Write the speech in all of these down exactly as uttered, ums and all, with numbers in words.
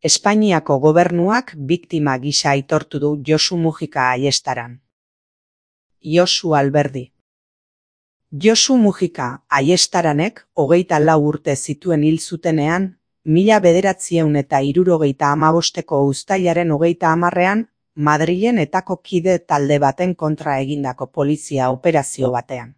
Espainiako gobernuak biktima gisa aitortu du Josu Mujika Ayestaran. Josu Alberdi. Josu Mujika Ayestaranek hogeita lau urte zituen hil zutenean, mila bederatziehun eta hirurogeita hamabosteko uztailaren hogeita hamarrean, Madrilen etako kide talde baten kontra egindako polizia operazio batean.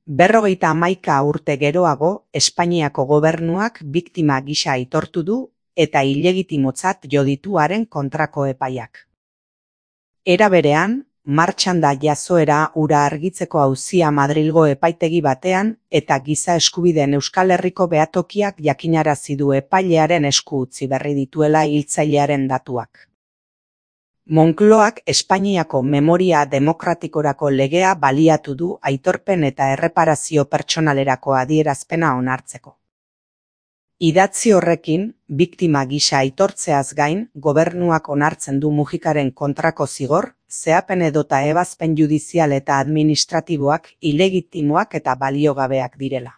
Berrogeita hamaika urte geroago, Espainiako gobernuak biktima gisa aitortu du eta ilegitimotzat jo ditu haren kontrako epaiak. Era berean, martxan da jazoera hura argitzeko auzia Madrilgo epaitegi batean eta giza eskubideen Euskal Herriko behatokiak jakinarazi du epailearen esku utzi berri dituela hiltzailearen datuak. Moncloak Espainiako Memoria Demokratikorako legea baliatu du aitorpen eta erreparazio pertsonalerako adierazpena onartzeko. Idatzi horrekin, biktima gisa aitortzeaz gain, gobernuak onartzen du Mujikaren kontrako zigor, zehapen edota ebazpen judizial eta administratiboak ilegitimoak eta baliogabeak direla.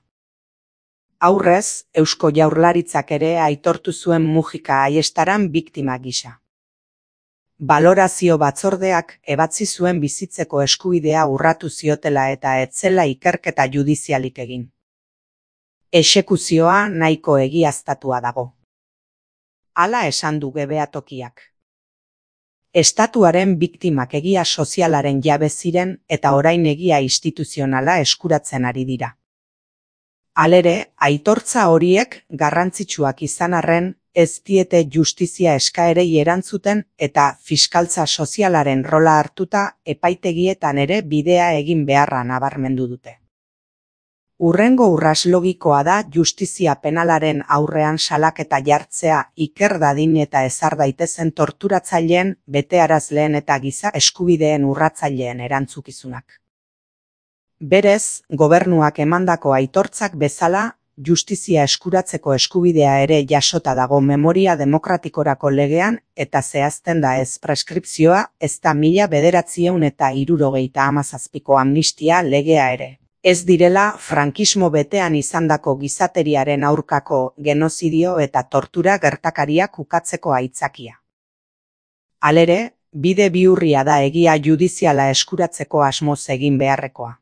Aurrez, Eusko Jaurlaritzak ere aitortu zuen Mujika Ayestaran biktima gisa. Balorazio batzordeak ebatzi zuen bizitzeko eskubidea urratu ziotela eta ez zela ikerketa judizialik egin. Exekuzioa nahiko egiaztatua dago. Hala esan du behatokiak. Estatuaren biktimak egia sozialaren jabe ziren eta orain egia instituzionala eskuratzen ari dira. Halere, aitortza horiek garrantzitsuak izan arren, ez diete justizia eskaerei erantzuten eta fiskaltza sozialaren rola hartuta epaitegietan ere bidea egin beharra nabarmendu dute. Hurrengo urras logikoa da justizia penalaren aurrean salaketa jartzea iker dadin eta ezar daitezen torturatzaileen, betearazleen eta giza eskubideen urratzaileen erantzukizunak. Berez, gobernuak emandako aitortzak bezala, justizia eskuratzeko eskubidea ere jasota dago Memoria Demokratikorako legean eta zehazten da ez preskripzioa ez da mila bederatziehun eta hirurogeita hamazazpiko amnistia legea ere. Ez direla frankismo betean izandako gizateriaren aurkako genozidio eta tortura gertakariak ukatzeko aitzakia. Halere, bide bihurria da egia judiziala eskuratzeko asmoz egin beharrekoa.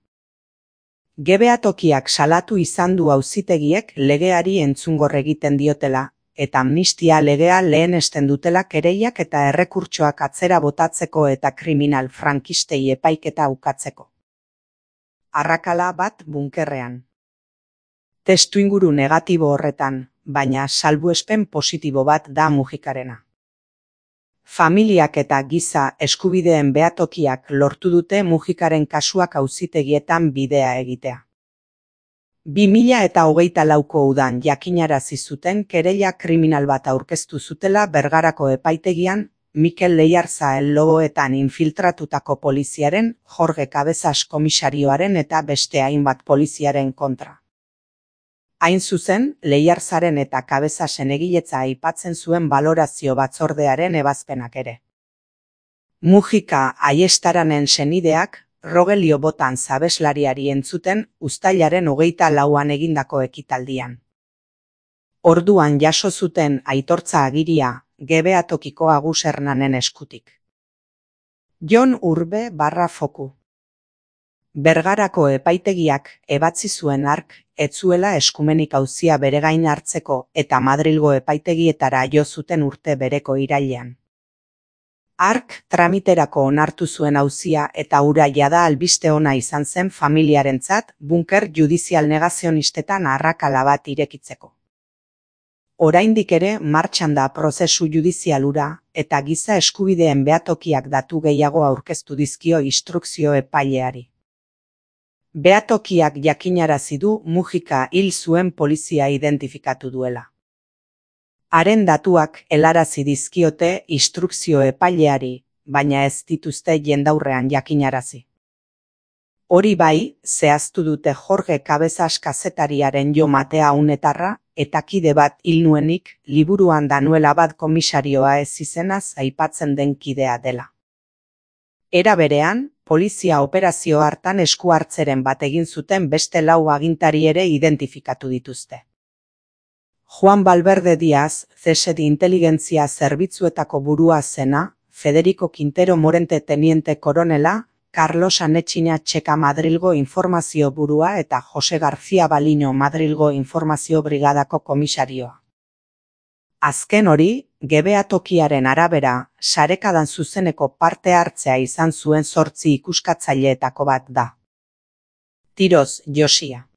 Behatokiak salatu izan du auzitegiek legeari entzungor egiten diotela, eta amnistia legea lehenesten dutela kereiak eta errekurtsoak atzera botatzeko eta kriminal frankistei epaiketa ukatzeko. Arrakala bat bunkerrean. Testuinguru negatibo horretan, baina salbuespen positibo bat da Mujikarena. Familiak eta giza eskubideen behatokiak lortu dute Mujikaren kasuak auzitegietan bidea egitea. bi mila eta hogeita lauko udan jakinarazi zuten kereila kriminal bat aurkeztu zutela Bergarako epaitegian, Mikel Leiarza Logoetan infiltratutako poliziaren, Jorge Cabezas komisarioaren eta beste hainbat poliziaren kontra. Hain zuzen, Leiarzaren eta Cabezasen egiletza aipatzen zuen balorazio batzordearen ebazpenak ere. Mujika Ayestaranen senideak, Rogelio Botan zabeslariari entzuten uztailaren hogeita lauan egindako ekitaldian. Orduan jaso zuten aitortza agiria, Behantokiko Agus Hernanen eskutik. Jon Urbe barra foku. Bergarako epaitegiak ebatzi zuen hark ez zuela eskumenik auzia bere gain hartzeko eta Madrilgo epaitegietara jo zuten urte bereko irailean. Hark tramiterako onartu zuen auzia eta hura jada albiste ona izan zen familiarentzat bunker judizial negazionistetan arrakala bat irekitzeko. Oraindik ere martxan da prozesu judizial hura eta giza eskubideen behatokiak datu gehiago aurkeztu dizkio instrukzio epaileari. Behatokiak jakinarazi du Mujika hil zuen polizia identifikatu duela. Haren datuak helarazi dizkiote instrukzio epaileari, baina ez dituzte jendaurrean jakinarazi. Hori bai, zehaztu dute Jorge Cabezas kazetariaren Jo Matea unetarra, eta kide bat hil nuenik, liburuan Danuela bat komisarioa ez izenaz aipatzen den kidea dela. Era berean, polizia operazio hartan esku hartzeren bat egin zuten beste lau agintari ere identifikatu dituzte. Juan Valverde Díaz, C S D inteligentzia zerbitzuetako burua zena, Federico Quintero Morente teniente koronela, Carlos Anetxina Txeka Madrilgo informazio burua eta Jose García Balino Madrilgo informazio brigadako komisarioa. Azken hori, Gebea tokiaren arabera, sarekadan zuzeneko parte hartzea izan zuen zortzi ikuskatzaileetako bat da. Tiroz Josia.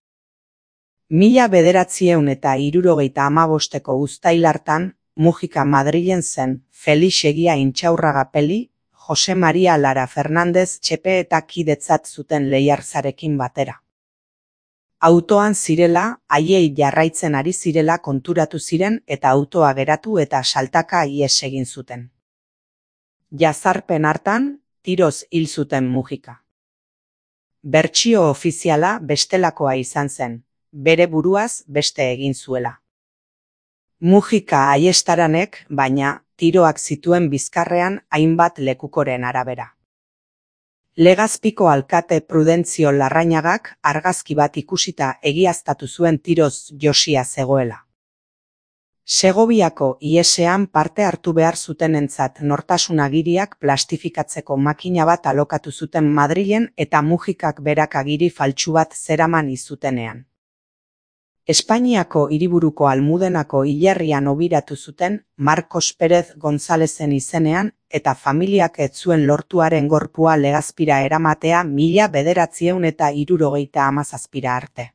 Mila bederatzieun eta hirurogeita hamabosteko uztail hartan, Mujika Madrilen zen, Felix Egia Intxaurraga Peli, Jose Maria Lara Fernandez Txepe eta kidetzat zuten Leiarzarekin batera. Autoan zirela, haiei jarraitzen ari zirela konturatu ziren eta autoa geratu eta saltaka ihes egin zuten. Jazarpen hartan, tiroz hil zuten Mujika. Bertsio ofiziala bestelakoa izan zen, bere buruaz beste egin zuela. Mujika aiestaranek, baina, tiroak zituen bizkarrean hainbat lekukoren arabera. Legazpiko alkate Prudentzio Larrañagak argazki bat ikusita egiaztatu zuen tiroz Josia zegoela. Segoviako ihesean parte hartu behar zutenentzat nortasun agiriak plastifikatzeko makina bat alokatu zuten Madrilen eta Mujikak berak agiri faltsu bat zeraman izutenean. Espainiako hiriburuko Almudenako hilerrian obiratu zuten Marcos Pérez Gonzalezen izenean eta familiak ez zuen lortuaren gorpua Legazpira eramatea mila bederatzieun eta hirurogeita hamazazpira arte.